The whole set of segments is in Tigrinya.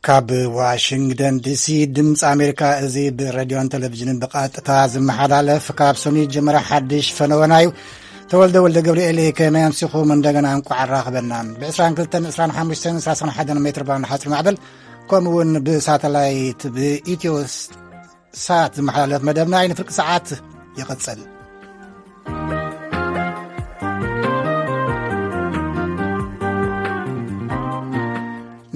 ካብ ዋሽንግተን ዲሲ ድምፂ ኣሜሪካ፣ እዚ ብሬድዮን ቴሌቪዥንን ብቐጥታ ዝመሓላለፍ ካብ ሰኑይ ጀመረ ሓድሽ ፈነወና እዩ። ተወልደ ወልደ ገብርኤል፣ ከመይ ኣምሲኹም? እንደገና እንቋዕ ኣራኸበና። ብ22፣ 25፣ 31 ሜትር ባንድ ሓፂር ማዕበል፣ ከምኡ እውን ብሳተላይት ብኢትዮ ሳት ዝመሓላለፍ መደብና እዩ። ንፍርቂ ሰዓት ይቕጽል።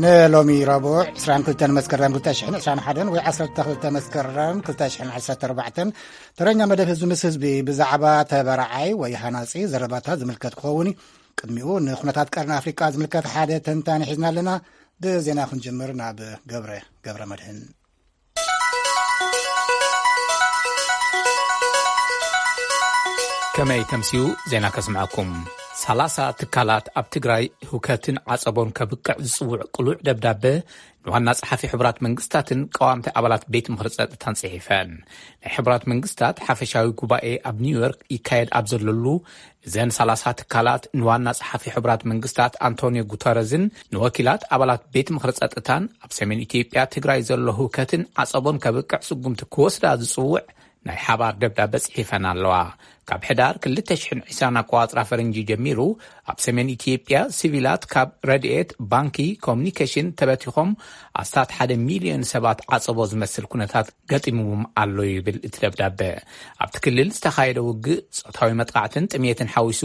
ንሎሚ ረቡዕ 22 መስከረም 2021 ወይ 12 መስከረም 2014፣ ተረኛ መደብ ህዝቢ ምስ ህዝቢ ብዛዕባ ተበራዓይ ወይ ሃናጺ ዘረባታት ዝምልከት ክኸውን እዩ። ቅድሚኡ ንኩነታት ቀርኒ ኣፍሪቃ ዝምልከት ሓደ ተንታኒ ሒዝና ኣለና። ብዜና ክንጅምር ናብ ገብረ፣ ገብረ መድህን። ከመይ ተምስዩ ዜና ከስምዐኩም። 30 ትካላት ኣብ ትግራይ ህውከትን ዓጸቦን ከብቅዕ ዝጽውዕ ቅሉዕ ደብዳበ ንዋና ጸሓፊ ሕቡራት መንግስታትን ቀዋምቲ ኣባላት ቤት ምኽሪ ጸጥታን ጽሒፈን። ናይ ሕቡራት መንግስታት ሓፈሻዊ ጉባኤ ኣብ ኒውዮርክ ይካየድ ኣብ ዘለሉ፣ እዘን 30 ትካላት ንዋና ጸሓፊ ሕቡራት መንግስታት ኣንቶኒዮ ጉተረዝን ንወኪላት ኣባላት ቤት ምኽሪ ጸጥታን ኣብ ሰሜን ኢትዮጵያ ትግራይ ዘሎ ህውከትን ዓጸቦን ከብቅዕ ስጉምቲ ክወስዳ ዝጽውዕ ናይ ሓባር ደብዳበ ጽሒፈን ኣለዋ። ካብ ሕዳር 2020 ኣቆጻጽራ ፈረንጂ ጀሚሩ፣ ኣብ ሰሜን ኢትዮጵያ ሲቪላት ካብ ረድኤት፣ ባንኪ፣ ኮሙኒኬሽን ተበቲኾም ኣስታት ሓደ ሚልዮን ሰባት ዓጸቦ ዝመስል ኩነታት ገጢምዎም ኣሎ ይብል እቲ ደብዳበ። ኣብቲ ክልል ዝተኻየደ ውግእ፣ ጾታዊ መጥቃዕትን ጥሜትን ሓዊሱ፣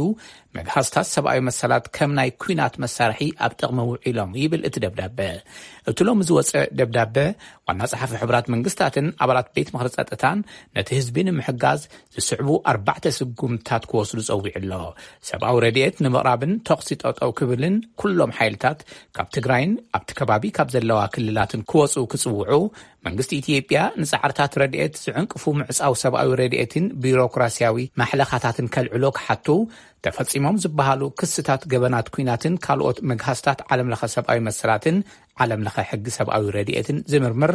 መግሃስታት ሰብኣዊ መሰላት ከም ናይ ኲናት መሳርሒ ኣብ ጥቕሚ ውዒሎም ይብል እቲ ደብዳበ። እቲ ሎሚ ዝወጸ ደብዳበ፣ ዋና ጸሓፊ ሕቡራት መንግስታትን ኣባላት ቤት ምኽሪ ጸጥታን ነቲ ህዝቢ ንምሕጋዝ ዝስዕቡ ኣርባዕተ ስጉምትታት ክወስዱ ጸዊዑ ኣሎ። ሰብኣዊ ረድኤት ንምቕራብን ተኹሲ ጠጠው ክብልን ኩሎም ሓይልታት ካብ ትግራይን ኣብቲ ከባቢ ካብ ዘለዋ ክልላትን ክወጹ ክጽውዑ፣ መንግስቲ ኢትዮጵያ ንጻዕርታት ረድኤት ዝዕንቅፉ ምዕጻው ሰብኣዊ ረድኤትን ቢሮክራሲያዊ ማሕለኻታትን ከልዕሎ ክሓቱ፣ ተፈጺሞም ዝበሃሉ ክስታት ገበናት ኲናትን ካልኦት መግሃስታት ዓለምለኸ ሰብኣዊ መሰላትን ዓለምለኸ ሕጊ ሰብኣዊ ረድኤትን ዝምርምር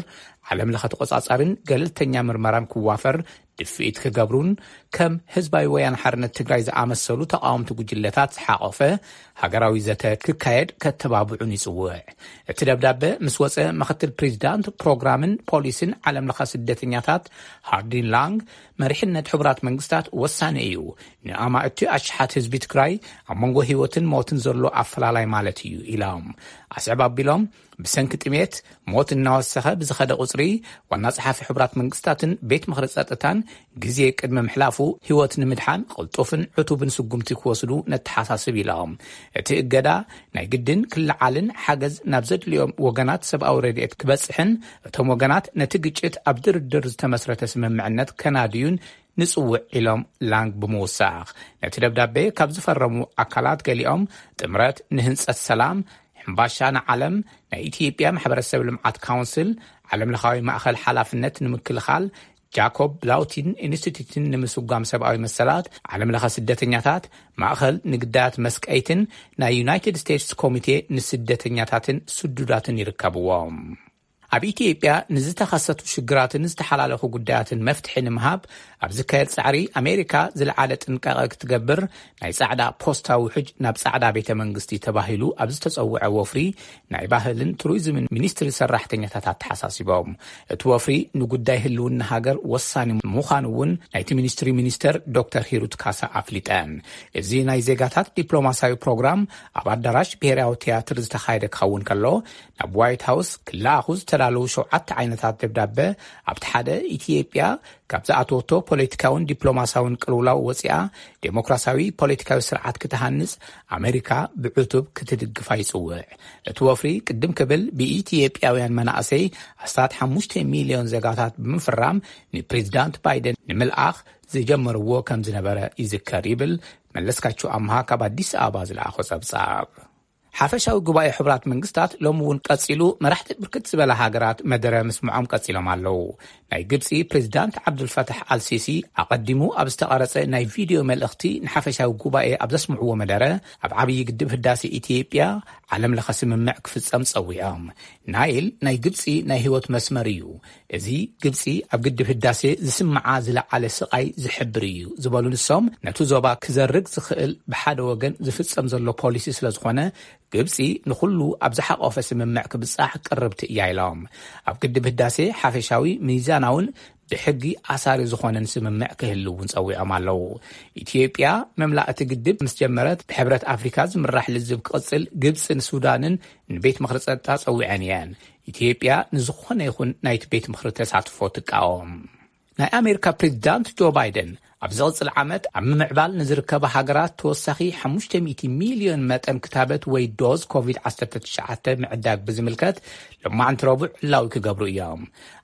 ዓለምለኸ ተቖጻጻርን ገለልተኛ ምርመራን ክዋፈር፣ ድፍኢት ክገብሩን ከም ህዝባዊ ወያነ ሓርነት ትግራይ ዝኣመሰሉ ተቓወምቲ ጉጅለታት ዝሓቖፈ ሃገራዊ ዘተ ክካየድ ከተባብዑን ይጽውዕ። እቲ ደብዳበ ምስ ወጸ፣ ምክትል ፕሬዚዳንት ፕሮግራምን ፖሊስን ዓለምለኸ ስደተኛታት ሃርዲን ላንግ፣ መሪሕነት ሕቡራት መንግስታት ወሳኒ እዩ፣ ንኣማእቲ ኣሽሓት ህዝቢ ትግራይ ኣብ መንጎ ህይወትን ሞትን ዘሎ ኣፈላላይ ማለት እዩ ኢሎም። ኣስዕብ ኣቢሎም፣ ብሰንኪ ጥሜት ሞት እናወሰኸ ብዝኸደ ቁጽሪ፣ ዋና ጸሓፊ ሕቡራት መንግስታትን ቤት ምኽሪ ጸጥታን ግዜ ቅድሚ ምሕላፉ ህይወት ንምድሓን ቅልጡፍን ዕቱብን ስጉምቲ ክወስዱ ነተሓሳስብ ኢሎም። እቲ እገዳ ናይ ግድን ክለዓልን ሓገዝ ናብ ዘድልዮም ወገናት ሰብኣዊ ረድኤት ክበጽሕን እቶም ወገናት ነቲ ግጭት ኣብ ድርድር ዝተመስረተ ስምምዕነት ከናድዩን ንጽውዕ ኢሎም ላንግ ብምውሳኽ፣ ነቲ ደብዳቤ ካብ ዝፈረሙ ኣካላት ገሊኦም ጥምረት ንህንጸት ሰላም፣ ሕምባሻ ንዓለም፣ ናይ ኢትዮጵያ ማሕበረሰብ ልምዓት ካውንስል፣ ዓለምለኻዊ ማእኸል ሓላፍነት ንምክልኻል፣ ጃኮብ ብላውቲን ኢንስቲትዩትን ንምስጓም ሰብኣዊ መሰላት፣ ዓለምለኸ ስደተኛታት፣ ማእኸል ንግዳያት መስቀይትን ናይ ዩናይትድ ስቴትስ ኮሚቴ ንስደተኛታትን ስዱዳትን ይርከብዎም። ኣብ ኢትዮጵያ ንዝተኸሰቱ ሽግራትን ዝተሓላለኹ ጉዳያትን መፍትሒ ንምሃብ ኣብ ዝካየድ ጻዕሪ፣ ኣሜሪካ ዝለዓለ ጥንቃቐ ክትገብር፣ ናይ ጻዕዳ ፖስታ ውሕጅ ናብ ጻዕዳ ቤተ መንግስቲ ተባሂሉ ኣብ ዝተጸውዐ ወፍሪ ናይ ባህልን ቱሪዝምን ሚኒስትሪ ሰራሕተኛታት ኣተሓሳሲቦም። እቲ ወፍሪ ንጉዳይ ህልውና ሃገር ወሳኒ ምዃኑ እውን ናይቲ ሚኒስትሪ ሚኒስተር ዶክተር ሂሩት ካሳ ኣፍሊጠን። እዚ ናይ ዜጋታት ዲፕሎማሲያዊ ፕሮግራም ኣብ ኣዳራሽ ብሄራዊ ቲያትር ዝተኻየደ ክኸውን ከሎ፣ ናብ ዋይት ሃውስ ክለኣኹ ዝተዳለዉ ሸውዓተ ዓይነታት ደብዳበ፣ ኣብቲ ሓደ ኢትዮጵያ ካብ ዝኣተወቶ ፖለቲካውን ዲፕሎማሲያውን ቅልውላው ወፂኣ ዴሞክራሲያዊ ፖለቲካዊ ስርዓት ክትሃንፅ ኣሜሪካ ብዕቱብ ክትድግፋ ይፅውዕ። እቲ ወፍሪ ቅድም ክብል ብኢትዮጵያውያን መናእሰይ ኣስታት ሓሙሽተ ሚልዮን ዜጋታት ብምፍራም ንፕሬዚዳንት ባይደን ንምልኣኽ ዝጀመርዎ ከም ዝነበረ ይዝከር ይብል መለስካቸው ኣምሃ ካብ ኣዲስ ኣበባ ዝለኣኾ ጸብጻብ። ሓፈሻዊ ጉባኤ ሕቡራት መንግስታት ሎሚ እውን ቀጺሉ፣ መራሕቲ ብርክት ዝበላ ሃገራት መደረ ምስምዖም ቀጺሎም ኣለዉ። ናይ ግብጺ ፕሬዚዳንት ዓብዱልፈታሕ ኣልሲሲ ኣቐዲሙ ኣብ ዝተቐረጸ ናይ ቪድዮ መልእኽቲ ንሓፈሻዊ ጉባኤ ኣብ ዘስምዕዎ መደረ፣ ኣብ ዓብዪ ግድብ ህዳሴ ኢትዮጵያ ዓለም ለኸ ስምምዕ ክፍጸም ጸዊዖም። ናይል ናይ ግብጺ ናይ ህይወት መስመር እዩ። እዚ ግብጺ ኣብ ግድብ ህዳሴ ዝስምዓ ዝለዓለ ስቓይ ዝሕብር እዩ ዝበሉ ንሶም፣ ነቲ ዞባ ክዘርግ ዝኽእል ብሓደ ወገን ዝፍጸም ዘሎ ፖሊሲ ስለ ዝኾነ ግብጺ ንኹሉ ኣብ ዝሓቆፈ ስምምዕ ክብጻሕ ቅርብቲ እያ ኢሎም። ኣብ ግድብ ህዳሴ ሓፈሻዊ፣ ሚዛናውን ብሕጊ ኣሳሪ ዝኾነን ስምምዕ ክህሉ እውን ጸዊዖም ኣለዉ። ኢትዮጵያ መምላእ እቲ ግድብ ምስ ጀመረት፣ ብሕብረት ኣፍሪካ ዝምራሕ ልዝብ ክቕጽል ግብጽን ሱዳንን ንቤት ምኽሪ ጸጥታ ጸዊዐን እየን። ኢትዮጵያ ንዝኾነ ይኹን ናይቲ ቤት ምኽሪ ተሳትፎ ትቃወም። ናይ ኣሜሪካ ፕሬዚዳንት ጆ ባይደን ኣብ ዝቕጽል ዓመት ኣብ ምምዕባል ንዝርከባ ሃገራት ተወሳኺ ሓሙሽተ ሚእቲ ሚልዮን መጠን ክታበት ወይ ዶዝ ኮቪድ ዓሰርተ ትሽዓተ ምዕዳግ ብዝምልከት ሎማዕንቲ ረቡዕ ዕላዊ ክገብሩ እዮም።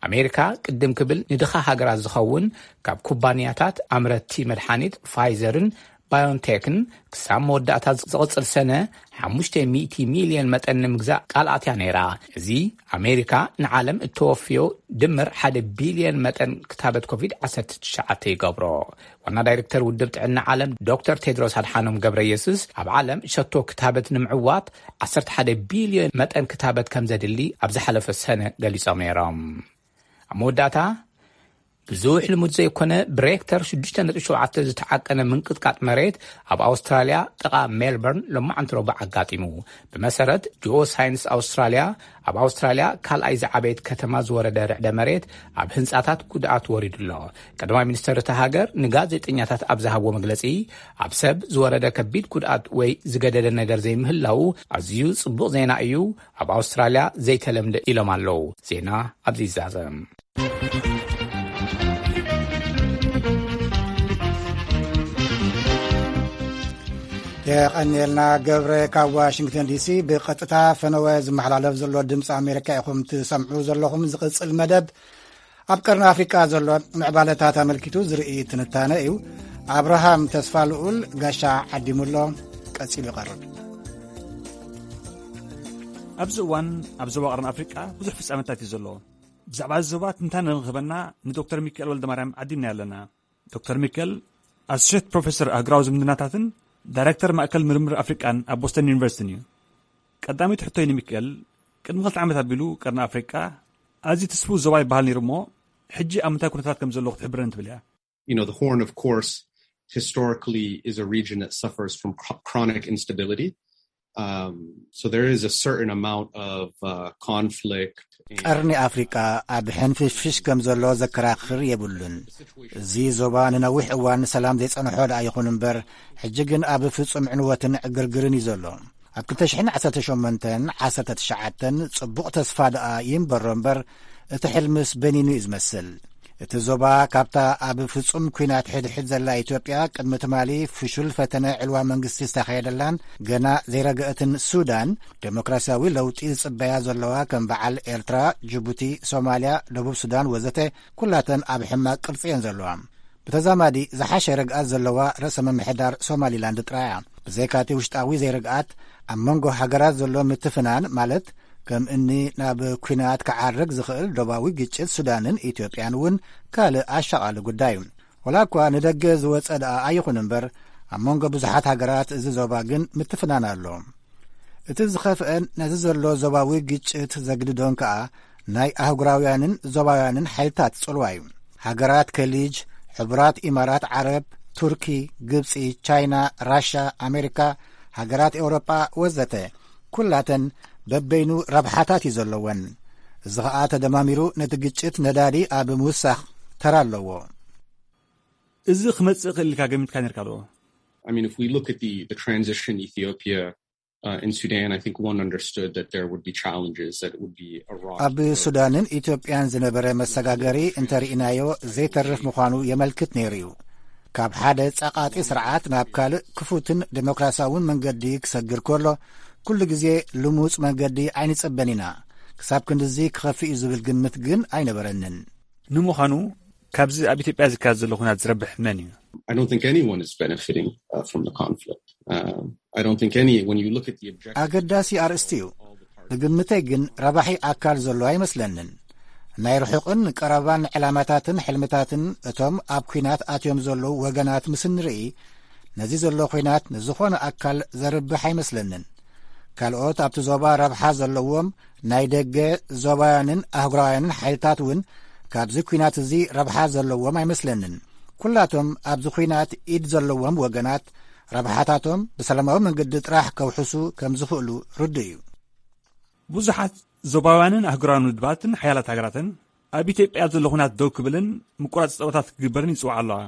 ኣሜሪካ ቅድም ክብል ንድኻ ሃገራት ዝኸውን ካብ ኩባንያታት ኣምረትቲ መድሓኒት ፋይዘርን ባዮንቴክን ክሳብ መወዳእታ ዝቕጽል ሰነ ሓሙሽተ ሚእቲ ሚልዮን መጠን ንምግዛእ ቃል ኣትያ ነይራ። እዚ ኣሜሪካ ንዓለም እተወፍዮ ድምር ሓደ ቢልዮን መጠን ክታበት ኮቪድ ዓሰርተ ትሽዓተ ይገብሮ። ዋና ዳይሬክተር ውድብ ጥዕና ዓለም ዶክተር ቴድሮስ ኣድሓኖም ገብረ የሱስ፣ ኣብ ዓለም ሸቶ ክታበት ንምዕዋት ዓሰርተ ሓደ ቢልዮን መጠን ክታበት ከም ዘድሊ ኣብ ዝሓለፈ ሰነ ገሊጾም ነይሮም። ኣብ መወዳእታ፣ ብዙሕ ልሙድ ዘይኮነ ብሬክተር ሽዱሽተ ነጥቢ ሸውዓተ ዝተዓቀነ ምንቅጥቃጥ መሬት ኣብ ኣውስትራልያ ጥቓ ሜልበርን ሎማዕንቲ ረቡዕ ኣጋጢሙ። ብመሰረት ጂኦ ሳይንስ ኣውስትራልያ፣ ኣብ ኣውስትራልያ ካልኣይ ዝዓበየት ከተማ ዝወረደ ርዕደ መሬት ኣብ ህንጻታት ጉድኣት ወሪዱ ኣሎ። ቀዳማይ ሚኒስተር እታ ሃገር ንጋዜጠኛታት ኣብ ዝሃብዎ መግለጺ፣ ኣብ ሰብ ዝወረደ ከቢድ ጉድኣት ወይ ዝገደደ ነገር ዘይምህላዉ ኣዝዩ ጽቡቕ ዜና እዩ፣ ኣብ ኣውስትራልያ ዘይተለምደ ኢሎም ኣለዉ። ዜና ኣብዚ ይዛዘም። የቐንየልና ገብረ። ካብ ዋሽንግተን ዲሲ ብቐጥታ ፈነወ ዝመሓላለፍ ዘሎ ድምፂ ኣሜሪካ ኢኹም ትሰምዑ ዘለኹም። ዝቕፅል መደብ ኣብ ቀርኒ ኣፍሪቃ ዘሎ ምዕባለታት ኣመልኪቱ ዝርኢ ትንታነ እዩ። ኣብርሃም ተስፋ ልኡል ጋሻ ዓዲሙሎ፣ ቀፂሉ ይቐርብ። ኣብዚ እዋን ኣብ ዞባ ቀርኒ ኣፍሪቃ ብዙሕ ፍጻመታት እዩ ዘሎ። ብዛዕባ እዚ ዞባ ትንታነ ንክህበና ንዶክተር ሚካኤል ወልደማርያም ዓዲምና ኣለና። ዶክተር ሚካኤል፣ ኣሶሼት ፕሮፌሰር ኣህጉራዊ ዝምድናታትን ዳይሬክተር ማእከል ምርምር ኣፍሪቃን ኣብ ቦስተን ዩኒቨርሲቲን እዩ። ቀዳመይቲ ሕቶይ ንሚካኤል፣ ቅድሚ ክልተ ዓመት ኣቢሉ ቀርኒ ኣፍሪቃ ኣዝዩ ትስፉው ዞባ ይበሃል ነይሩ እሞ፣ ሕጂ ኣብ ምንታይ ኩነታት ከም ዘሎ ክትሕብረኒ ትብል እያ? You know, the Horn, of course, historically is a region that suffers from chro- chronic instability. Um, so there is a certain amount of uh, conflict. And ቀርኒ ኣፍሪቃ ኣብ ሕንፍሽፍሽ ከም ዘሎ ዘከራኽር የብሉን። እዚ ዞባ ንነዊሕ እዋን ሰላም ዘይጸንሖ ደኣ ይኹን እምበር፣ ሕጂ ግን ኣብ ፍጹም ዕንወትን ዕግርግርን እዩ ዘሎ። ኣብ ክልተ ሽሕን ዓሰርተ ሸሞንተን ዓሰርተ ትሽዓተን ጽቡቕ ተስፋ ደኣ ይንበሮ እምበር፣ እቲ ሕልምስ በኒኑ እዩ ዝመስል። እቲ ዞባ ካብታ ኣብ ፍጹም ኲናት ሕድሕድ ዘላ ኢትዮጵያ ቅድሚ ትማሊ ፍሹል ፈተነ ዕልዋ መንግስቲ ዝተኻየደላን ገና ዘይረገአትን ሱዳን፣ ዴሞክራሲያዊ ለውጢ ዝጽበያ ዘለዋ ከም በዓል ኤርትራ፣ ጅቡቲ፣ ሶማልያ፣ ደቡብ ሱዳን ወዘተ፣ ኩላተን ኣብ ሕማቕ ቅርጺ እየን ዘለዋ። ብተዛማዲ ዝሓሸ ርግኣት ዘለዋ ርእሰ ምምሕዳር ሶማሊላንድ ጥራይ እያ። ብዘይካቲ ውሽጣዊ ዘይርግኣት፣ ኣብ መንጎ ሃገራት ዘሎ ምትፍናን፣ ማለት ከም እኒ ናብ ኲናት ክዓርግ ዝኽእል ዶባዊ ግጭት ሱዳንን ኢትዮጵያን እውን ካልእ ኣሻቓሊ ጉዳይ እዩ። ወላ እኳ ንደገ ዝወጸ ደኣ ኣይኹን እምበር፣ ኣብ መንጎ ብዙሓት ሃገራት እዚ ዞባ ግን ምትፍናን ኣሎ። እቲ ዝኸፍአን ነዚ ዘሎ ዞባዊ ግጭት ዘግድዶን ከኣ ናይ ኣህጉራውያንን ዞባውያንን ሓይልታት ጽልዋ እዩ። ሃገራት ከሊጅ፣ ሕቡራት ኢማራት ዓረብ፣ ቱርኪ፣ ግብጺ፣ ቻይና፣ ራሻ፣ ኣሜሪካ፣ ሃገራት ኤውሮጳ ወዘተ፣ ኩላተን በበይኑ ረብሓታት እዩ ዘለወን። እዚ ኸኣ ተደማሚሩ ነቲ ግጭት ነዳዲ ኣብ ምውሳኽ ተራ ኣለዎ። እዚ ክመጽእ ክእል ኢልካ ገሚትካ ነርካ ዶ? I mean, if we look at the, the transition Ethiopia uh, in Sudan, I think one understood that there would be challenges, that it would be a rocky ኣብ road. ሱዳንን ኢትዮጵያን ዝነበረ መሰጋገሪ እንተርኢናዮ ዘይተርፍ ምዃኑ የመልክት ነይሩ እዩ። ካብ ሓደ ጸቓጢ ስርዓት ናብ ካልእ ክፉትን ዴሞክራሲያውን መንገዲ ክሰግር ከሎ፣ ኩሉ ግዜ ልሙጽ መንገዲ ኣይንጸበን ኢና። ክሳብ ክንድዚ ክኸፍእ እዩ ዝብል ግምት ግን ኣይነበረንን። ንምዃኑ፣ ካብዚ ኣብ ኢትዮጵያ ዝካየድ ዘሎ ኩናት ዝረብሕ መን እዩ? I don't think anyone is benefiting uh, from the conflict. Um, I don't think any, when you look at the objective ኣገዳሲ ኣርእስቲ እዩ። ብግምተይ ግን ረባሒ ኣካል ዘሎ ኣይመስለንን። ናይ ርሑቕን ቀረባን ዕላማታትን ሕልምታትን እቶም ኣብ ኲናት ኣትዮም ዘለዉ ወገናት ምስ ንርኢ፣ ነዚ ዘሎ ኲናት ንዝኾነ ኣካል ዘርብሕ ኣይመስለንን። ካልኦት ኣብቲ ዞባ ረብሓ ዘለዎም ናይ ደገ ዞባውያንን ኣህጉራውያንን ሓይልታት እውን ካብዚ ኲናት እዚ ረብሓ ዘለዎም ኣይመስለንን። ኩላቶም ኣብዚ ኲናት ኢድ ዘለዎም ወገናት ረብሓታቶም ብሰላማዊ መንገዲ ጥራሕ ከውሕሱ ከም ዝኽእሉ ርዱእ እዩ። ብዙሓት ዞባውያንን ኣህጉራውያን ውድባትን ሓያላት ሃገራትን ኣብ ኢትዮጵያ ዘሎ ኹናት ደው ክብልን ምቁራጽ ጸወታት ክግበርን ይጽውዓ ኣለዋ።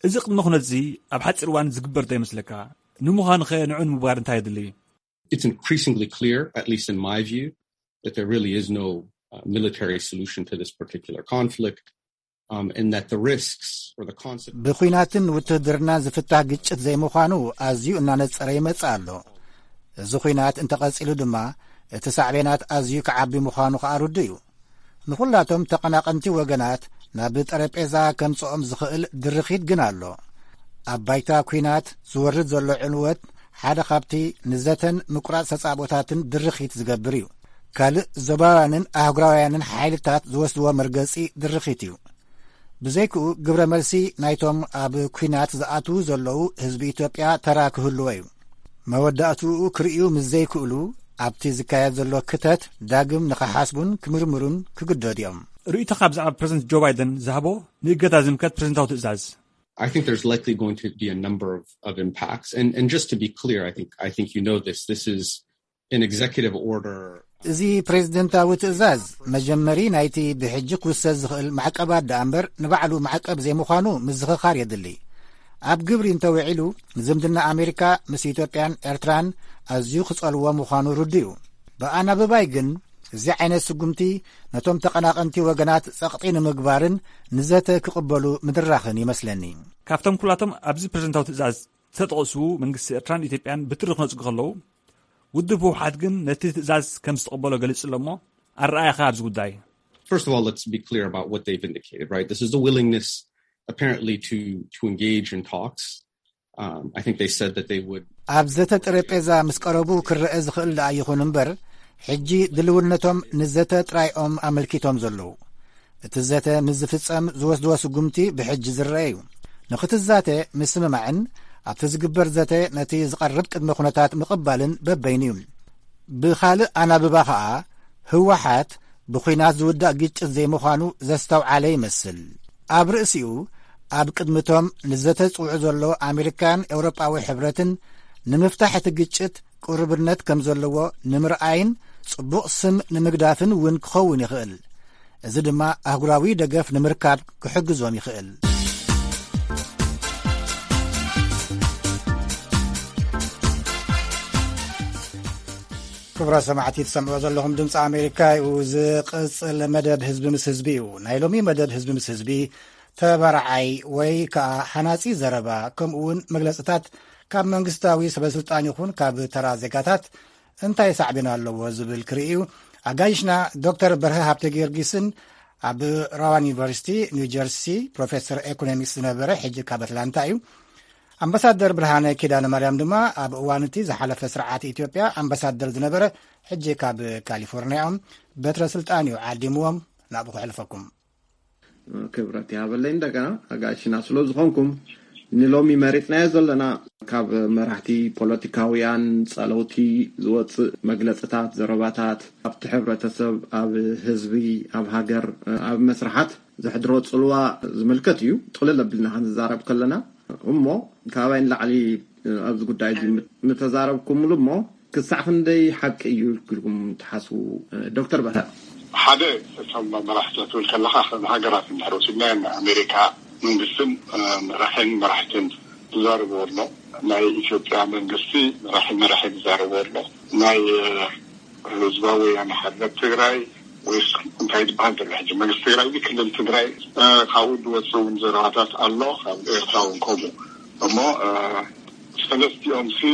እዚ ቅድመ ኩነት እዚ ኣብ ሓጺር እዋን ዝግበር ዶ ይመስለካ? ንምዃኑኸ ንዑ ንምግባር እንታይ የድሊ? It's increasingly clear, at least in my view, that there really is no uh, military solution to this particular conflict, um, and that the risks or the consequences. ብኹናትን ውትህድርናን ዝፍታህ ግጭት ዘይምዃኑ ኣዝዩ እናነጸረ ይመጽእ ኣሎ። እዚ ኹናት እንተቐጺሉ ድማ እቲ ሳዕቤናት ኣዝዩ ክዓቢ ምዃኑ ከኣ ርዱእ እዩ። ንኹላቶም ተቐናቐንቲ ወገናት ናብ ጠረጴዛ ከምጽኦም ዝኽእል ድርኺት ግን ኣሎ። ኣብ ባይታ ኲናት ዝወርድ ዘሎ ዕንወት ሓደ ካብቲ ንዘተን ምቁራጽ ተጻብኦታትን ድርኺት ዝገብር እዩ። ካልእ ዞባውያንን ኣህጉራውያንን ሓይልታት ዝወስድዎ መርገጺ ድርኺት እዩ። ብዘይክኡ ግብረ መልሲ ናይቶም ኣብ ኲናት ዝኣትዉ ዘለዉ ህዝቢ ኢትዮጵያ ተራ ክህልዎ እዩ። መወዳእትኡ ክርእዩ ምስ ዘይክእሉ ኣብቲ ዝካየድ ዘሎ ክተት ዳግም ንኽሓስቡን ክምርምሩን ክግደዱ እዮም። ርእይቶኻ ብዛዕባ ፕረዚደንት ጆ ባይደን ዝሃቦ ንእገዳ ዝምልከት ፕረዚደንታዊ ትእዛዝ? I think there's likely going to be a number of, of impacts. And, and just to be clear, I think I think you know this. This is an executive order. እዚ ፕሬዝደንታዊ ትእዛዝ መጀመሪ ናይቲ ብሕጂ ክውሰድ ዝኽእል ማዕቀባት ደኣ እምበር ንባዕሉ ማዕቀብ ዘይምዃኑ ምዝኽኻር የድሊ። ኣብ ግብሪ እንተውዒሉ ንዝምድና ኣሜሪካ ምስ ኢትዮጵያን ኤርትራን ኣዝዩ ክጸልዎ ምዃኑ ርዱእ እዩ። ብኣናብባይ ግን እዚ ዓይነት ስጉምቲ ነቶም ተቐናቐንቲ ወገናት ጸቕጢ ንምግባርን ንዘተ ክቕበሉ ምድራኽን ይመስለኒ። ካብቶም ኩላቶም ኣብዚ ፕረዚደንታዊ ትእዛዝ ዝተጠቕሱ መንግስቲ ኤርትራን ኢትዮጵያን ብትሪ ክነጽጉ ከለዉ፣ ውድብ ህወሓት ግን ነቲ ትእዛዝ ከም ዝተቐበሎ ገሊጹ ኣሎ እሞ ኣረኣእያኻ ኣብዚ ጉዳይ? First of all, let's be clear about what they've indicated, right? This is the willingness apparently to to engage in talks. Um, I think they said that they would. ኣብ ዘተ ጠረጴዛ ምስ ቀረቡ ክረአ ዝኽእል ደኣ ይኹን እምበር፣ ሕጂ ድልውነቶም ንዘተ ጥራይኦም ኣመልኪቶም ዘለዉ። እቲ ዘተ ምስ ዝፍጸም ዝወስድዎ ስጉምቲ ብሕጂ ዝረአ እዩ። ንኽትዛተ ምስምማዕን ኣብቲ ዝግበር ዘተ ነቲ ዝቐርብ ቅድመ ኩነታት ምቕባልን በበይኑ እዩ። ብኻልእ ኣናብባ ኸኣ ህወሓት ብኹናት ዝውዳእ ግጭት ዘይምዃኑ ዘስተውዓለ ይመስል። ኣብ ርእሲኡ ኣብ ቅድሚቶም ንዘተ ዝጽውዑ ዘሎ ኣሜሪካን ኤውሮጳዊ ሕብረትን ንምፍታሕ እቲ ግጭት ቅሩብነት ከም ዘለዎ ንምርኣይን ጽቡቕ ስም ንምግዳፍን እውን ክኸውን ይኽእል። እዚ ድማ ኣህጉራዊ ደገፍ ንምርካብ ክሕግዞም ይኽእል። ክቡራት ሰማዕቲ ትሰምዑ ዘለኹም ድምፂ ኣሜሪካ እዩ። ዝቕፅል መደብ ህዝቢ ምስ ህዝቢ እዩ። ናይ ሎሚ መደብ ህዝቢ ምስ ህዝቢ ተባራዓይ ወይ ከዓ ሃናፂ ዘረባ ከምኡ እውን መግለፅታት ካብ መንግስታዊ ሰበስልጣን ይኹን ካብ ተራ ዜጋታት እንታይ ሳዕቤን ኣለዎ ዝብል ክርኢ እዩ። ኣጋይሽና ዶክተር በርሀ ሃብተ ጊዮርጊስን ኣብ ራዋን ዩኒቨርሲቲ ኒው ጀርሲ ፕሮፌሰር ኤኮኖሚክስ ዝነበረ ሕጂ ካብ ኣትላንታ እዩ። ኣምባሳደር ብርሃነ ኪዳነ ማርያም ድማ ኣብ እዋን እቲ ዝሓለፈ ስርዓት ኢትዮጵያ ኣምባሳደር ዝነበረ ሕጂ ካብ ካሊፎርኒያ እዮም። በትረ ስልጣን እዩ ዓዲምዎም። ናብኡ ከሕልፈኩም። ክብረት ይሃበለይ እንደገና ኣጋይሽና ስለ ዝኾንኩም። ንሎሚ መሪፅናዮ ዘለና ካብ መራሕቲ ፖለቲካውያን ጸለውቲ ዝወፅእ መግለፅታት፣ ዘረባታት ኣብቲ ሕብረተሰብ፣ ኣብ ህዝቢ፣ ኣብ ሃገር፣ ኣብ መስርሓት ዘሕድሮ ጽልዋ ዝምልከት እዩ። ጥቕልል ኣቢልና ክንዛረብ ከለና እሞ ካባይ ንላዕሊ ኣብዚ ጉዳይ እዚ ምተዛረብኩምሉ እሞ ክሳዕ ክንደይ ሓቂ እዩ ኢልኩም ትሓስቡ? ዶክተር በርሀ። ሓደ እቶም መራሕቲ ክትብል ከለኻ ከም ሃገራት እንድሕር ወሲድናዮ ናይ ኣሜሪካ መንግስትን መራሕን መራሕትን ዝዛረብዎ ኣሎ። ናይ ኢትዮጵያ መንግስቲ መራሒ መራሒ ዝዛረብዎ ኣሎ። ናይ ህዝባዊ ወያነ ሓርነት ትግራይ ወይስ እንታይ ዝበሃል ዘሎ ሕጂ መንግስቲ ትግራይ እዚ ክልል ትግራይ ካብኡ ዝወፅእ እውን ዘረባታት ኣሎ። ካብ ኤርትራ እውን ከምኡ እሞ ሰለስቲኦም ሲ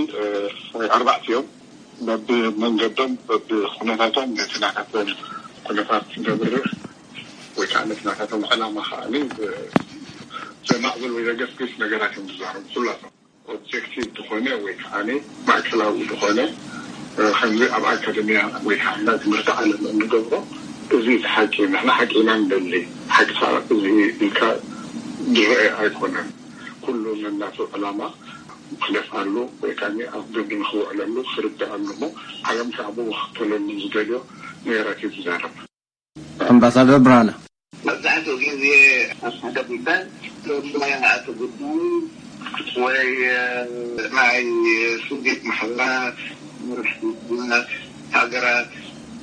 ወይ ኣርባዕቲኦም በብመንገዶም በብኩነታቶም ነቲ ናታቶም ኩነታት ዘብርህ ወይ ከዓ ነቲ ናታቶም ዕላማ ከዓ ዘማዕብል ወይ ዘገስግስ ነገራት እዮም ዝዛረቡ ኩላቶም። ኦብጀክቲቭ ዝኾነ ወይ ከዓ ማእከላዊ ዝኾነ ከምዚ ኣብ ኣካደሚያ ወይ ከዓ ናይ ትምህርቲ ዓለም እንገብሮ እዚ እቲ ሓቂ ንሕና ሓቂ ኢና ንደሊ ሓቂ እዚ ኢልካ ዝረአ ኣይኮነን። ኩሉ ነናቱ ዕላማ ክለፍኣሉ ወይ ከዓ ኣብ ግብሪ ንክውዕለሉ ክርድኣሉ እሞ ዓለም ከዓ ብኡ ክክተለሉ ዝደልዮ ነገራት እዩ ዝዛረብ። ኣምባሳደር ብርሃነ። መብዛሕትኡ ግዜ ኣብ ሓደ ጉዳይ ሞያ ኣቲ ጉዳይ ወይ ናይ ስደት ማሕበራት፣ መራሕቲ ሃገራት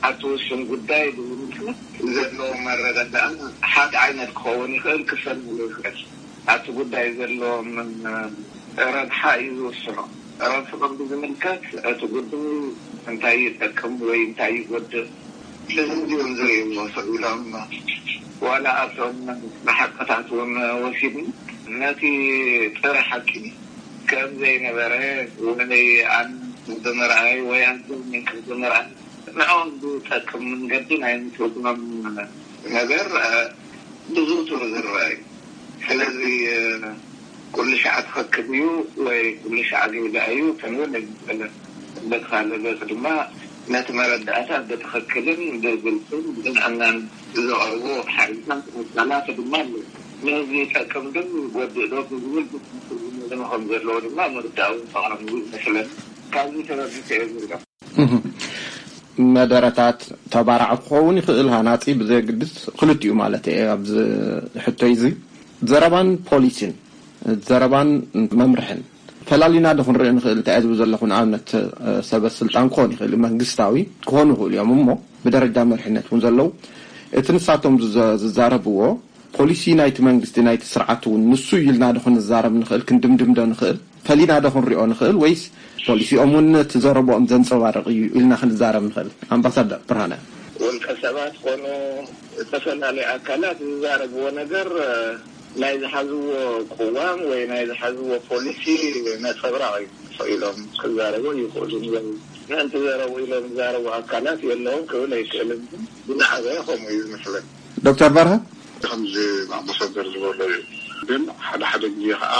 ኣብቲ ውሱን ጉዳይ ብምምልከት ዘለዎም ኣረዳድኣ ሓደ ዓይነት ክኸውን ይኽእል፣ ክፈላለ ይኽእል። ኣብቲ ጉዳይ ዘለዎም ረብሓ እዩ ዝውስኖ። ረብሕኦም ብዝምልከት እቲ ጉዳይ እንታይ ይጠቅም ወይ እንታይ ይጎድእ፣ ስለዚ እዮም ዝርእይዎ ሰብ ኢሎም። ዋላ ኣብቶም ብሓቅታት እውን ወሲድና ነቲ ጥረ ሓቂ ከም ዘይነበረ ወይ ኣነ ብምርኣይ ወይ ኣንተ ብምርኣይ ንዕኦም ዝጠቅም መንገዲ ናይ ምትርጉሞም ነገር ብዙ ጥሩ ዝረአ እዩ። ስለዚ ኩሉ ሻዕ ትኸክብ እዩ ወይ ኩሉ ሻዕ ጌጋ እዩ ክንብል ኣይንኽእልን። በቲ ካልእ ገፅ ድማ ነቲ መረዳእታ ብትኽክልን ብግልፅን ብቅንዕናን ዘቕርቡ ሓይልታት ኣካላት ድማ ኣለዉ። ንህዝቢ ይጠቅም ዶ ይጎድእ ዶ ብዝብል ብትኽክል ዝመዘኑ ከም ዘለዎ ድማ ምርዳእ እውን ጠቓሚ እዩ ይመስለኒ። ካብዚ ተበጊሰ እየ ዝብሎ። መደረታት ተባራዕ ክኸውን ይኽእል፣ ሃናጺ ብዘየግድስ ክልቲኡ ማለት እየ። ኣብዚ ሕቶይ እዚ ዘረባን ፖሊሲን፣ ዘረባን መምርሕን ፈላሊና ዶ ክንሪኦ ንኽእል? እንታይ እየ ዝብል ዘለኹ፣ ንኣብነት ሰበ ስልጣን ክኾን ይኽእል፣ መንግስታዊ ክኾኑ ይኽእሉ እዮም፣ እሞ ብደረጃ መሪሕነት እውን ዘለዉ እቲ ንሳቶም ዝዘ- ዝዛረብዎ ፖሊሲ ናይቲ መንግስቲ ናይቲ ስርዓት እውን ንሱ እዩ ኢልና ዶ ክንዛረብ ንኽእል፣ ክንድምድም ዶ ንኽእል፣ ፈሊና ዶ ክንሪኦ ንኽእል፣ ወይስ ፖሊሲኦም እውን እቲ ዘረብኦም ዘንፀባርቕ እዩ ኢልና ክንዛረብ ንኽእል? ኣምባሳደር ብርሃነ። ውልቀ ሰባት ኮኑ ዝተፈላለዩ ኣካላት ዝዛረብዎ ነገር ናይ ዝሓዝዎ ቅዋም ወይ ናይ ዝሓዝዎ ፖሊሲ ነፀብራቕ እዩ። ኢሎም ክዛረቡ ይኽእሉ እዮም። ምእንቲ ዘረቡ ኢሎም ዝዛረቡ ኣካላት የለውን ክብል ኣይክእልን። ግን ብዝዓበየ ከምኡ እዩ ዝመስለኒ። ዶክተር በርሀ። ከምዚ ኣምባሳደር ዝበሎ እዩ። ግን ሓደ ሓደ ግዜ ከዓ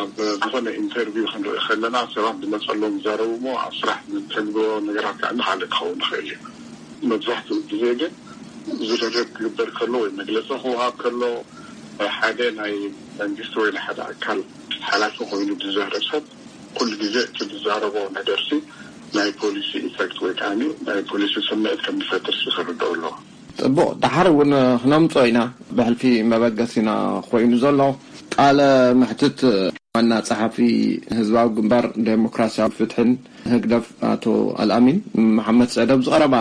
ኣብ ዝኾነ ኢንተርቪው ክንርኢ ከለና ሰባት ዝመፀሎም ይዛረቡ እሞ ኣብ ስራሕ ንተግብሮ ነገራት ከዓ ንካልእ ክኸውን ይኽእል እዩ። መብዛሕትኡ ግዜ ግን ዝደረግ ክግበር ከሎ ወይ መግለፂ ክወሃብ ከሎ ሓደ ናይ መንግስቲ ወይ ናይ ሓደ ኣካል ሓላፊ ኮይኑ ዝዛረብ ሰብ ኩሉ ግዜ እቲ ዝዛረቦ ነገርሲ ናይ ፖሊሲ ኢፈክት ወይ ከዓ ናይ ፖሊሲ ስምዒት ከም ዝፈጥር ክርድኦ ኣለዎ። ፅቡቕ፣ ዳሓር እውን ክነምፅኦ ኢና። ብሕልፊ መበገሲና ኮይኑ ዘሎ ቃለ መሕትት ዋና ጸሓፊ ህዝባዊ ግንባር ዴሞክራሲያዊ ፍትሕን ህግደፍ ኣቶ ኣልኣሚን መሓመድ ሰዕድ ኣብ ዝቐረባ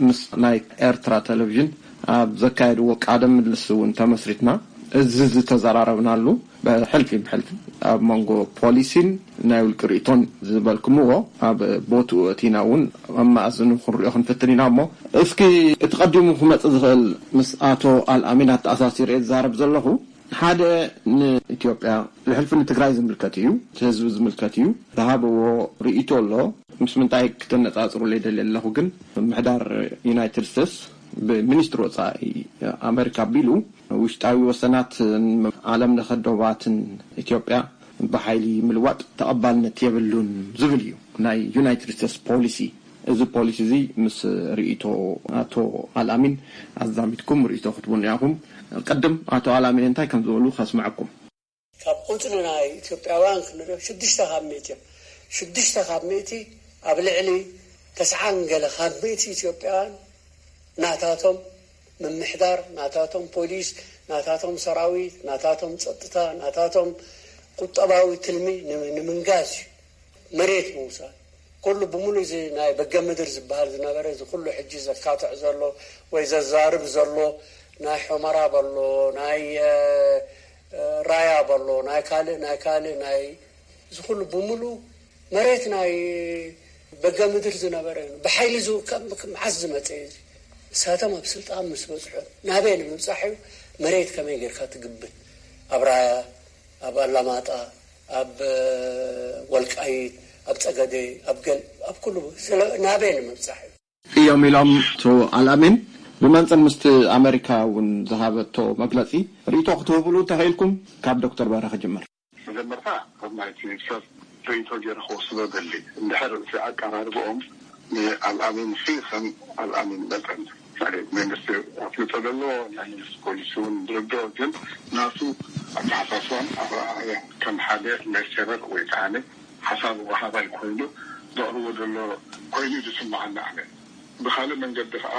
ምስ ናይ ኤርትራ ቴሌቪዥን ኣብ ዘካየድዎ ቃለ ምልልስ እውን ተመስሪትና እዚ ዝተዘራረብናሉ ብሕልፊ ብሕልፊ ኣብ መንጎ ፖሊሲን ናይ ውልቂ ርእቶን ዝበልኩምዎ ኣብ ቦትኡ እቲና እውን ኣብ መኣዝኑ ክንሪኦ ክንፍትን ኢና። እሞ እስኪ እቲ ቀዲሙ ክመጽእ ዝኽእል ምስ ኣቶ ኣልኣሚን ኣተኣሳሲረ ዝዛረብ ዘለኹ ሓደ ንኢትዮጵያ ብሕልፊ ንትግራይ ዝምልከት እዩ፣ እቲ ህዝቢ ዝምልከት እዩ። ዝሃበዎ ርእይቶ ኣሎ። ምስ ምንታይ ክተነጻጽሩለይ ደልየ ኣለኹ ግን ምምሕዳር ዩናይትድ ስቴትስ ብሚኒስትሪ ወጻኢ ኣመሪካ ኣቢሉ ውሽጣዊ ወሰናት ዓለም ለኸ ዶባትን ኢትዮጵያ ብሓይሊ ምልዋጥ ተቐባልነት የብሉን ዝብል እዩ ናይ ዩናይትድ ስቴትስ ፖሊሲ። እዚ ፖሊሲ እዚ ምስ ርእይቶ ኣቶ ኣልኣሚን ኣዛሚድኩም ርእይቶ ክትቡን ኢኹም። ቅድም ኣቶ ኣልኣሚን እንታይ ከም ዝበሉ ከስምዐኩም። ካብ ቁፅሪ ናይ ኢትዮጵያውያን ክንሪኦ ሽዱሽተ ካብ ሚእቲ እዮም። ሽዱሽተ ካብ ሚእቲ ኣብ ልዕሊ ተስዓን ገለ ካብ ሚእቲ ኢትዮጵያውያን ናታቶም ምምሕዳር፣ ናታቶም ፖሊስ፣ ናታቶም ሰራዊት፣ ናታቶም ፀጥታ፣ ናታቶም ቁጠባዊ ትልሚ ንምንጋስ እዩ። መሬት ምውሳድ ኩሉ ብምሉእ እዚ ናይ በገ ምድር ዝበሃል ዝነበረ እዚ ኩሉ ሕጂ ዘካትዕ ዘሎ ወይ ዘዛርብ ዘሎ ናይ ሑመራ በሎ ናይ ራያ በሎ ናይ ካልእ ናይ ካልእ ናይ እዚ ኩሉ ብምሉእ መሬት ናይ በገ ምድር ዝነበረ እዩ። ብሓይሊ ዝውከም መዓስ ዝመፀ እዩ? እሳቶም ኣብ ስልጣን ምስ በፅሑ ናበይ ንምብፃሕ እዩ? መሬት ከመይ ጌርካ ትግብት? ኣብ ራያ፣ ኣብ ኣላማጣ፣ ኣብ ወልቃይት፣ ኣብ ፀገዴ፣ ኣብ ገል ኣብ ኩሉ ናበይ ንምብፃሕ እዩ? እዮም ኢሎም ኣቶ ኣልኣሚን ብመንፅር ምስቲ ኣመሪካ እውን ዝሃበቶ መግለፂ ርእይቶ ክትህብሉ እንተኽኢልኩም ካብ ዶክተር በርሀ ክጅምር። መጀመርታ ከም ናይቲ ሰብ ርእይቶ ገይረ ክወስዶ ደሊ እንድሕር እቲ ኣቀራርብኦም ንኣልኣሚን ሲ ከም ኣልኣሚን መጠን ማለት መንግስቲ ኣፍልጦ ዘለዎ ናይ መንግስቲ ፖሊሲ እውን ዝርድኦ ግን ናቱ ኣተሓሳስባን ኣረኣእያን ከም ሓደ ሌክቸረር ወይ ከዓ ሓሳብ ወሃባይ ኮይኑ ዘቕርቦ ዘሎ ኮይኑ ዝስምዓኒ ኣነ። ብካልእ መንገዲ ከዓ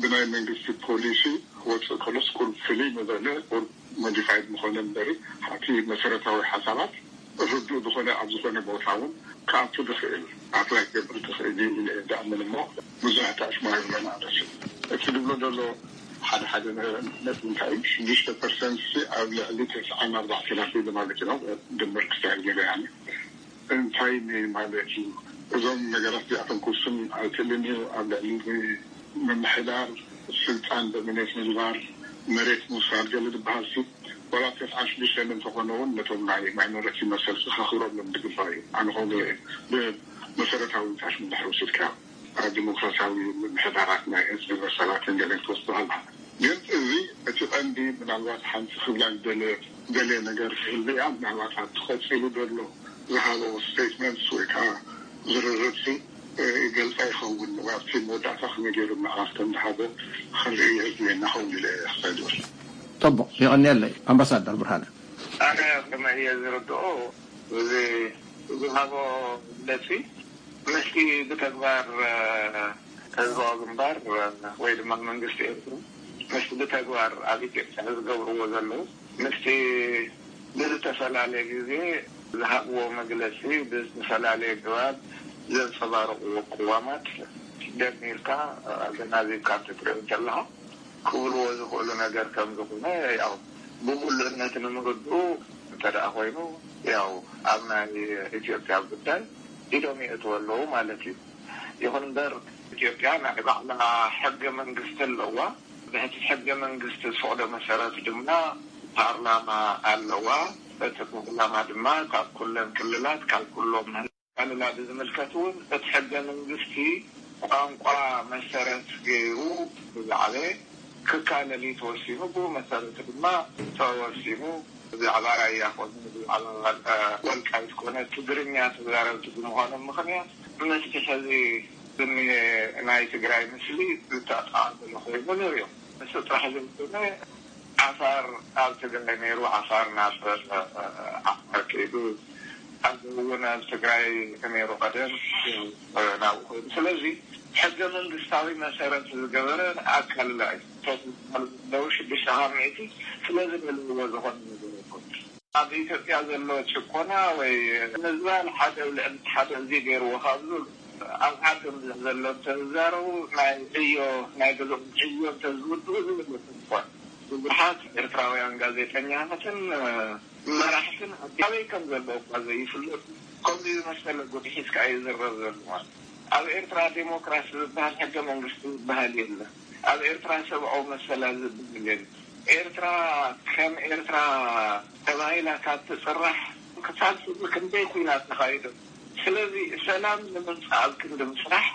ብናይ መንግስቲ ፖሊሲ ክወፅእ ከሎስ ቁሩብ ፍልይ ምበለ ቁሩብ ሞዲፋይድ ምኾነ እምበሪ እቲ መሰረታዊ ሓሳባት ርዱእ ዝኾነ ኣብ ዝኾነ ቦታ እውን ክኣቱ ዝኽእል ኣፕላይ ክገብር ዝኽእል እዩ ኢለ እየ ዝኣምን። እሞ ብዙሕ ተኣሽማ ይብለና ደስ እቲ ዝብሎ ዘሎ ሓደ ሓደ ነጥቢ እንታይ እዩ ሽዱሽተ ፐርሰንት ኣብ ልዕሊ ተስዓን ኣርባዕተን ኣቢሉ ማለት እዩ ድምር ክሳብ ገለ ያኒ እንታይ ማለት እዩ? እዞም ነገራት እዚኣቶም ክውስን ኣይክእልን እዩ። ኣብ ልዕሊ ምምሕዳር ስልጣን ዶሚኔት ምግባር መሬት ምውሳድ ገለ ዝበሃል ሲ ዋላ ተስዓን ሽዱሽተን እንተኾነ እውን ነቶም ናይ ማይኖሪቲ መሰል ክኸኽብረሎም ዝግባእ እዩ። ኣነ ከምኡ ብመሰረታዊ ታሽ ምድሕር ወሲድካ ኣብ ዲሞክራሲያዊ ምምሕዳራት ናይ ህዝቢ መሰላትን ገለን ክትወስዱ ኣለካ። ግን እዚ እቲ ቀንዲ ምናልባት ሓንቲ ክብላ ዝደለ ገለ ነገር ክህሉ እያ። ምናልባት ኣብቲ ቀፂሉ ዘሎ ዝሃበ ስቴትመንትስ ወይ ከዓ ዝርርብሲ ይገልፃ ይኸውን ወይ ኣብቲ መወዳእታ ከመይ ገይሩ ምዕራፍ ከም ዝሃቦ ክንርኢ የድልየና ኸውን ኢለ ክሳይ ዝወስድ። ጠቡቕ ይቐንየለይ ኣምባሳደር ብርሃነ። ኣነ ከመይ እየ ዝርድኦ እዚ ዝሃቦ መግለፂ ምስቲ ብተግባር ህዝባዊ ግንባር ወይ ድማ መንግስቲ ኤርትራ ምስቲ ብተግባር ኣብ ኢትዮጵያ ዝገብርዎ ዘለዉ ምስቲ ብዝተፈላለየ ግዜ ዝሃብዎ መግለፂ ብዝተፈላለየ ግባብ ዘንፀባረቕዎ ቅዋማት ደሚርካ ኣገናዚብካ እንትትሪኦ እንተለኻ ክብልዎ ዝኽእሉ ነገር ከም ዝኾነ ያው ብምሉእነት ንምርድኡ እንተ ደኣ ኮይኑ ያው ኣብ ናይ ኢትዮጵያ ጉዳይ ኢዶም የእትዉ ኣለዉ ማለት እዩ። ይኹን እምበር ኢትዮጵያ ናይ ባዕላ ሕገ መንግስቲ ኣለዋ። ብሕቲ ሕገ መንግስቲ ዝፈቕዶ መሰረት ድማ ፓርላማ ኣለዋ። እቲ ፓርላማ ድማ ካብ ኩለን ክልላት ካብ ኩሎም ኣሉላ ብዝምልከት እውን እቲ ሕገ መንግስቲ ቋንቋ መሰረት ገይሩ ብዛዕበ ክካለል እዩ ተወሲኑ። ብኡ መሰረት ድማ ተወሲኑ ብዛዕባ ራያ ኮነ ብዛዕባ ወልቃይት ኮነ ትግርኛ ተዛረብቲ ብምዃኖም ምኽንያት ምስቲ ሕዚ ዝኒሀ ናይ ትግራይ ምስሊ ዝተጣዕበለ ኮይኑ ንሪኦ። ንሱ ጥራሕ ዘይኮነ ዓፋር ኣብ ትግራይ ነይሩ፣ ዓፋር ናብ ዓፋር ከይዱ፣ ኣብዚ እውን ኣብ ትግራይ ነይሩ ቀደም ናብኡ ከይዱ። ስለዚ ሕገ መንግስታዊ መሰረት ዝገበረ ኣካልላ እዩ። እቶም ዝበሃሉ ዘለዉ ሽዱሽተ ካብ ሚእቲ ስለዚ ንልዎ ዝኾነ ነገር ኣይኮነን። ኣብ ኢትዮጵያ ዘሎ ጭቆና ወይ ምዝባል ሓደ ኣብ ልዕሊ ሓደ እዚ ገይርዎ ካብ ዝብሉ ኣብ ዓዶም ዘሎ እንተዝዛረቡ ናይ ዕዮ ናይ ገዝኦም ዕዮ እንተዝውድኡ ዝብል ይኾን። ብዙሓት ኤርትራውያን ጋዜጠኛታትን መራሕትን ኣበይ ከም ዘለዉ እኳ ዘይፍለጡ ከምዚ ዝመሰለ ጉድ ሒዝካ እዩ ዝረብ ዘሎ። ኣብ ኤርትራ ዴሞክራሲ ዝበሃል ሕገ መንግስቲ ዝበሃል የለን። ኣብ ኤርትራ ሰብኣዊ መሰላት ዝበሃል የለን። ኤርትራ ከም ኤርትራ ተባሂላ ካብ ትጽራሕ ክሳብ ሕዚ ክንደይ ኲናት ተኻይዱ። ስለዚ ሰላም ንምምጻእ ኣብ ክንዲ ምስራሕ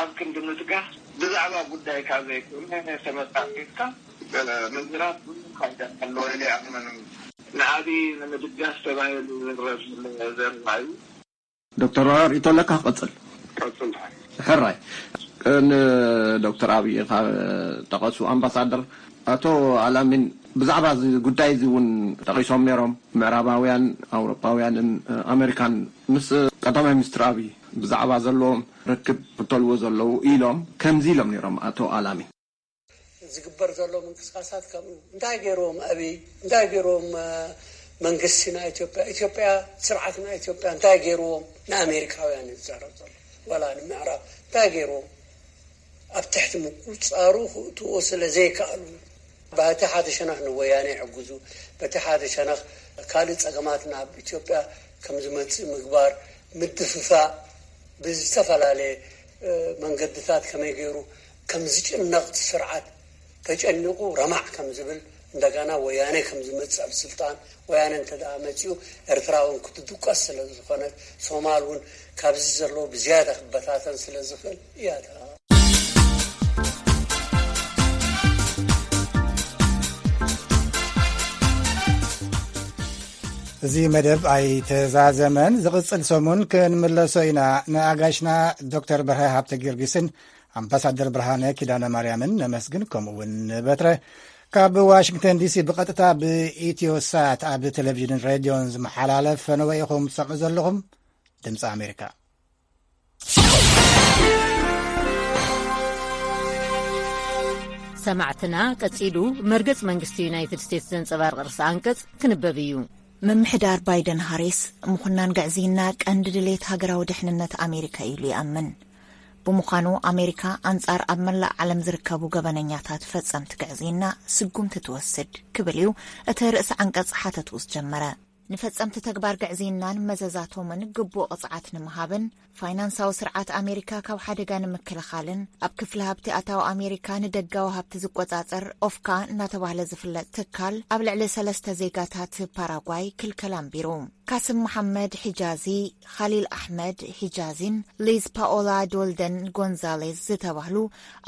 ኣብ ክንዲ ምትጋህ ብዛዕባ ጉዳይካ ዘይኮነ ተመጻጺትካ ምዝራብ ብዙ ፋይዳ ኣለዎ ኢለ ይኣምን። ንዓቢ ንምድጋፍ ተባሂሉ ዝረብ ዘሎ ዘረባ እዩ። ዶክተር ሪኢቶ ኣለካ ክቐጽል። ሕራይ ንዶክተር ኣብይ ካብ ጠቐሱ ኣምባሳደር ኣቶ ኣላሚን ብዛዕባ እዚ ጉዳይ እዚ እውን ጠቒሶም ነይሮም። ምዕራባውያን ኣውሮፓውያንን ኣሜሪካን ምስ ቀዳማይ ሚኒስትር ኣብይ ብዛዕባ ዘለዎም ርክብ ክተልዎ ዘለዉ ኢሎም ከምዚ ኢሎም ነይሮም ኣቶ ኣላሚን። ዝግበር ዘሎ ምንቅስቃሳት ከምኡ እንታይ ገይርዎም ኣብይ እንታይ ገይርዎም መንግስቲ ናይ ኢትዮጵያ ኢትዮጵያ ስርዓት ናይ ኢትዮጵያ እንታይ ገይርዎም ንኣሜሪካውያን ዝዛረብ ዘሎ ዋላ ንምዕራብ እንታይ ገይርዎም ኣብ ትሕቲ ምቁፃሩ ክእትዎ ስለ ዘይከኣሉ በቲ ሓደ ሸነኽ ንወያነ ይሕግዙ በቲ ሓደ ሸነኽ ካልእ ፀገማት ናብ ኢትዮጵያ ከም ዝመፅእ ምግባር ምድፍፋእ ብዝተፈላለየ መንገድታት ከመይ ገይሩ ከም ዝጭነቕ እቲ ስርዓት ተጨኒቑ ረማዕ ከም ዝብል እንደገና ወያነ ከም ዝመፅእ ኣብ ስልጣን ወያነ እንተ ደኣ መፂኡ ኤርትራ እውን ክትድቀስ ስለ ዝኾነት ሶማል እውን ካብዚ ዘለዎ ብዝያዳ ክበታተን ስለ ዝኽእል እያ እታ እዚ መደብ ኣይተዛዘመን። ዝቕጽል ሰሙን ክንምለሶ ኢና። ንኣጋሽና ዶክተር በርሀ ሃብተ ጊዮርጊስን ኣምባሳደር ብርሃነ ኪዳነ ማርያምን ነመስግን፣ ከምኡ እውን ንበትረ። ካብ ዋሽንግተን ዲሲ ብቐጥታ ብኢትዮ ሳት ኣብ ቴሌቪዥንን ሬድዮን ዝመሓላለፍ ፈነወ ኢኹም ትሰምዑ ዘለኹም ድምፂ ኣሜሪካ። ሰማዕትና፣ ቀጺሉ መርገጽ መንግስቲ ዩናይትድ ስቴትስ ዘንጸባርቕ ርእሰ ኣንቀጽ ክንበብ እዩ። ምምሕዳር ባይደን ሃሪስ፣ ምኹናን ግዕዝይና ቀንዲ ድሌት ሃገራዊ ድሕንነት ኣሜሪካ እዩ ኢሉ ይኣምን። ብምዃኑ፣ ኣሜሪካ ኣንጻር ኣብ መላእ ዓለም ዝርከቡ ገበነኛታት ፈጸምቲ ግዕዝይና ስጉምቲ ትወስድ ክብል እዩ እቲ ርእሲ ዓንቀጽ ሓተትኡ ዝጀመረ። ንፈጸምቲ ተግባር ግዕዝይናን መዘዛቶምን ግቡእ ቅጽዓት ንምሃብን ፋይናንሳዊ ስርዓት ኣሜሪካ ካብ ሓደጋ ንምክልኻልን፣ ኣብ ክፍሊ ሃብቲ ኣታዊ ኣሜሪካ ንደጋዊ ሃብቲ ዝቆጻጸር ኦፍካ እናተባህለ ዝፍለጥ ትካል ኣብ ልዕሊ ሰለስተ ዜጋታት ፓራጓይ ክልከላ ኣንቢሩ። ካስም መሓመድ ሒጃዚ፣ ኻሊል ኣሕመድ ሒጃዚን ሊዝ ፓኦላ ዶልደን ጎንዛሌዝ ዝተባህሉ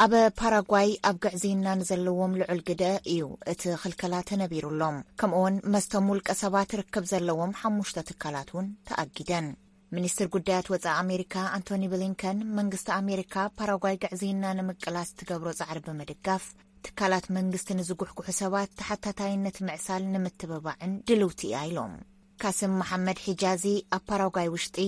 ኣብ ፓራጓይ ኣብ ግዕዝይና ንዘለዎም ልዑል ግደ እዩ እቲ ክልከላ ተነቢሩሎም። ከምኡውን መስቶም ውልቀ ሰባት ርክብ ዘለዎም ሓሙሽተ ትካላት እውን ተኣጊደን። ሚኒስትር ጉዳያት ወጻኢ ኣሜሪካ ኣንቶኒ ብሊንከን፣ መንግስቲ ኣሜሪካ ፓራጓይ ግዕዝይና ንምቅላስ ትገብሮ ጻዕሪ ብምድጋፍ፣ ትካላት መንግስቲ ንዝጉሕጉሑ ሰባት ተሓታታይነት ምዕሳል ንምትብባዕን ድልውቲ እያ ኢሎም። ካስም መሓመድ ሒጃዚ ኣብ ፓራጓይ ውሽጢ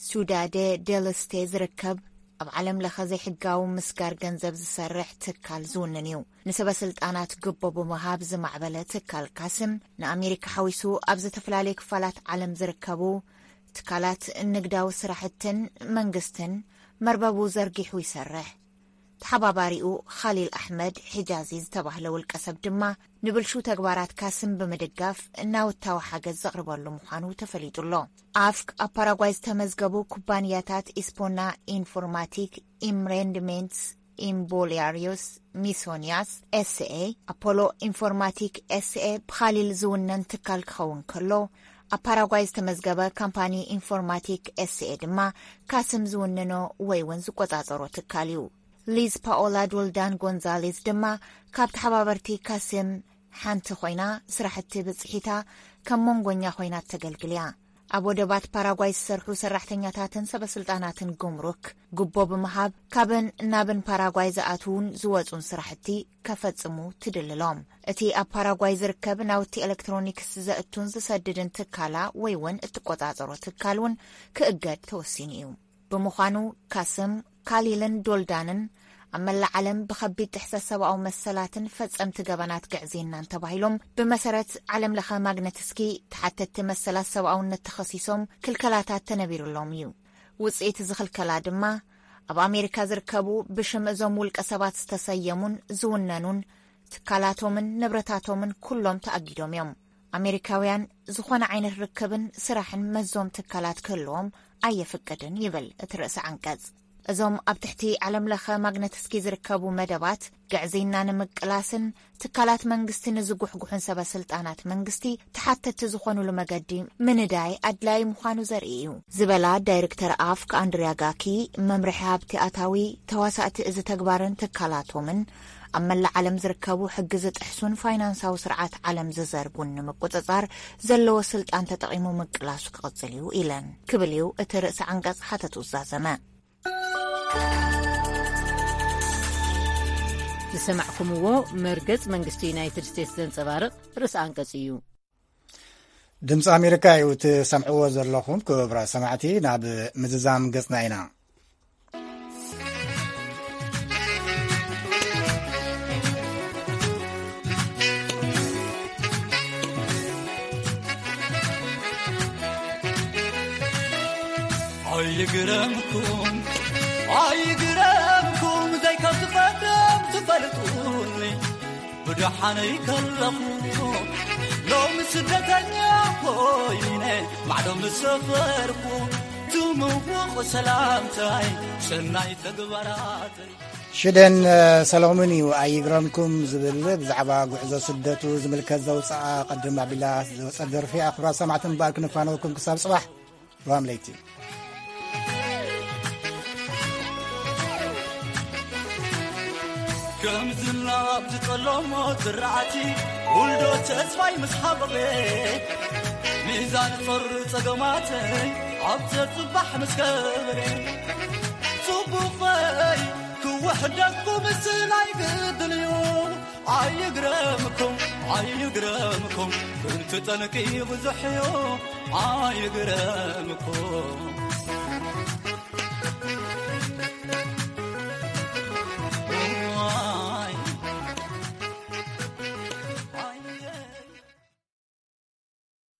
ሱዳደ ደል ስቴ ዝርከብ ኣብ ዓለም ለኸ ዘይሕጋዊ ምስጋር ገንዘብ ዝሰርሕ ትካል ዝውንን እዩ። ንሰበ ስልጣናት ግቦ ብምሃብ ዝማዕበለ ትካል ካስም ንኣሜሪካ ሓዊሱ ኣብ ዝተፈላለየ ክፋላት ዓለም ዝርከቡ ትካላት ንግዳዊ ስራሕትን መንግስትን መርበቡ ዘርጊሑ ይሰርሕ። ተሓባባሪኡ ኻሊል ኣሕመድ ሒጃዚ ዝተባህለ ውልቀ ሰብ ድማ ንብልሹ ተግባራት ካስም ብምድጋፍ ናውታዊ ሓገዝ ዘቕርበሉ ምዃኑ ተፈሊጡ ኣሎ። ኣፍክ ኣብ ፓራጓይ ዝተመዝገቡ ኩባንያታት ኢስፖና ኢንፎርማቲክ፣ ኢምሬንድሜንትስ ኢምቦሊያሪዮስ ሚሶንያስ ኤስኤ፣ ኣፖሎ ኢንፎርማቲክ ኤስኤ ብኻሊል ዝውነን ትካል ክኸውን ከሎ፣ ኣብ ፓራጓይ ዝተመዝገበ ካምፓኒ ኢንፎርማቲክ ኤስኤ ድማ ካስም ዝውንኖ ወይ እውን ዝቆጻጸሮ ትካል እዩ። ሊዝ ፓኦላ ዶልዳን ጎንዛሌዝ ድማ ካብ ተሓባበርቲ ካስም ሓንቲ ኮይና፣ ስራሕቲ ብጽሒታ ከም መንጎኛ ኮይና ተገልግል እያ። ኣብ ወደባት ፓራጓይ ዝሰርሑ ሰራሕተኛታትን ሰበስልጣናትን ጉምሩክ ጉቦ ብምሃብ ካብን ናብን ፓራጓይ ዝኣትዉን ዝወጹን ስራሕቲ ከፈጽሙ ትድልሎም። እቲ ኣብ ፓራጓይ ዝርከብ ናውቲ ኤሌክትሮኒክስ ዘእቱን ዝሰድድን ትካላ ወይ እውን እትቆጻጸሮ ትካል እውን ክእገድ ተወሲኑ እዩ። ብምዃኑ ካስም፣ ካሊልን ዶልዳንን ኣብ መላእ ዓለም ብኸቢድ ጥሕሰት ሰብኣዊ መሰላትን ፈጸምቲ ገበናት ግዕዝይናን ተባሂሎም ብመሰረት ዓለም ለኸ ማግነትስኪ ተሓተትቲ መሰላት ሰብኣውነት ተኸሲሶም ክልከላታት ተነቢሩሎም እዩ። ውጽኢት እዚ ክልከላ ድማ ኣብ ኣሜሪካ ዝርከቡ ብሽም እዞም ውልቀ ሰባት ዝተሰየሙን ዝውነኑን ትካላቶምን ንብረታቶምን ኩሎም ተኣጊዶም እዮም። ኣሜሪካውያን ዝኾነ ዓይነት ርክብን ስራሕን መዞም ትካላት ክህልዎም ኣየፍቅድን ይብል እቲ ርእሰ ዓንቀጽ። እዞም ኣብ ትሕቲ ዓለም ለኸ ማግነትስኪ ዝርከቡ መደባት ግዕዝይና ንምቅላስን ትካላት መንግስቲ ንዝጉሕጉሑን ሰበ ስልጣናት መንግስቲ ተሓተቲ ዝኾኑሉ መገዲ ምንዳይ ኣድላዪ ምዃኑ ዘርኢ እዩ ዝበላ ዳይሬክተር ኣፍክ ኣንድሪያ ጋኪ፣ መምርሒ ሃብቲ ኣታዊ ተዋሳእቲ እዚ ተግባርን ትካላቶምን ኣብ መላእ ዓለም ዝርከቡ ሕጊ ዝጥሕሱን ፋይናንሳዊ ስርዓት ዓለም ዝዘርጉን ንምቁጽጻር ዘለዎ ስልጣን ተጠቒሙ ምቅላሱ ክቕጽል እዩ ኢለን ክብል እዩ እቲ ርእሰ ዓንቀጽ ሓተቱ ዝዛዘመ። ዝሰማዕኩምዎ መርገጽ መንግስቲ ዩናይትድ ስቴትስ ዘንጸባርቕ ርእሰ ኣንቀጽ እዩ። ድምፂ ኣሜሪካ እዩ ትሰምዕዎ ዘለኹም ክቡራት ሰማዕቲ። ናብ ምዝዛም ገጽና ኢና። ኣይግረምኩም ኣይግረምኩም ዘይከም ዝፈርም ትፈልጡኒ። ብደሓነይ ከለኹ ሎሚ ስደተኛ ኮይነ ማዕዶ ምስ ሰፈርኩ ትምውቕ ሰላምታይ ሰናይ ተግባራተይ። ሽደን ሰሎሞን እዩ ኣይግረምኩም ዝብል ብዛዕባ ጉዕዞ ስደቱ ዝምልከት ዘውፅኣ ቅድም ኣቢላ ዝወፀ ደርፊ ኣኽብራት ሰማዕቲ ምባል ክንፋነወኩም ክሳብ ፅባሕ ሮሃም ለይቲ። ከም ዝናብ ዝጠለሞ ዝራእቲ ውልዶ ተስፋይ ምስ ሓበቐ ሚዛን ጾር ጸገማተይ ኣብ ዘጽባሕ ምስ ከበረ ጽቡቐይ ክውሕደኩ ምስላይ ግድን እዩ። ኣይግረምኩም ኣይግረምኩም ክንትጠንቂ ብዙሕ እዩ። ኣይግረምኩም